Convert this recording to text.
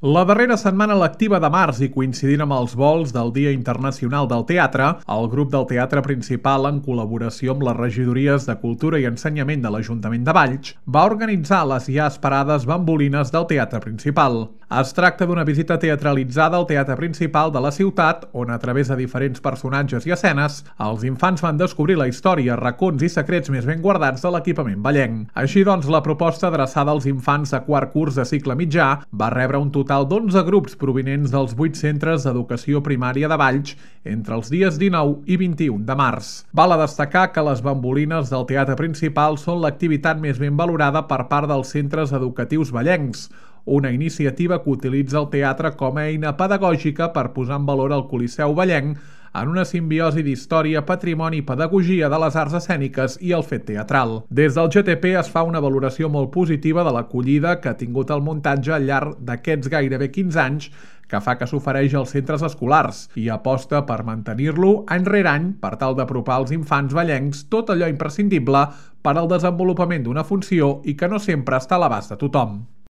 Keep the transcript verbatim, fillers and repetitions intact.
La darrera setmana lectiva de març i coincidint amb els vols del Dia Internacional del Teatre, el grup del Teatre Principal, en col·laboració amb les regidories de Cultura i Ensenyament de l'Ajuntament de Valls, va organitzar les ja esperades bambolines del Teatre Principal. Es tracta d'una visita teatralitzada al Teatre Principal de la ciutat, on a través de diferents personatges i escenes, els infants van descobrir la història, racons i secrets més ben guardats de l'equipament vallenc. Així doncs, la proposta adreçada als infants de quart curs de cicle mitjà va rebre un total total d'onze grups provinents dels vuit centres d'educació primària de Valls entre els dies dinou i vint-i-un de març. Val a destacar que les bambolines del Teatre Principal són l'activitat més ben valorada per part dels centres educatius vallencs, una iniciativa que utilitza el teatre com a eina pedagògica per posar en valor el Coliseu vallenc en una simbiosi d'història, patrimoni i pedagogia de les arts escèniques i el fet teatral. Des del G T P es fa una valoració molt positiva de l'acollida que ha tingut el muntatge al llarg d'aquests gairebé quinze anys que fa que s'ofereix als centres escolars i aposta per mantenir-lo any rere any per tal d'apropar als infants vallencs tot allò imprescindible per al desenvolupament d'una funció i que no sempre està a l'abast de tothom.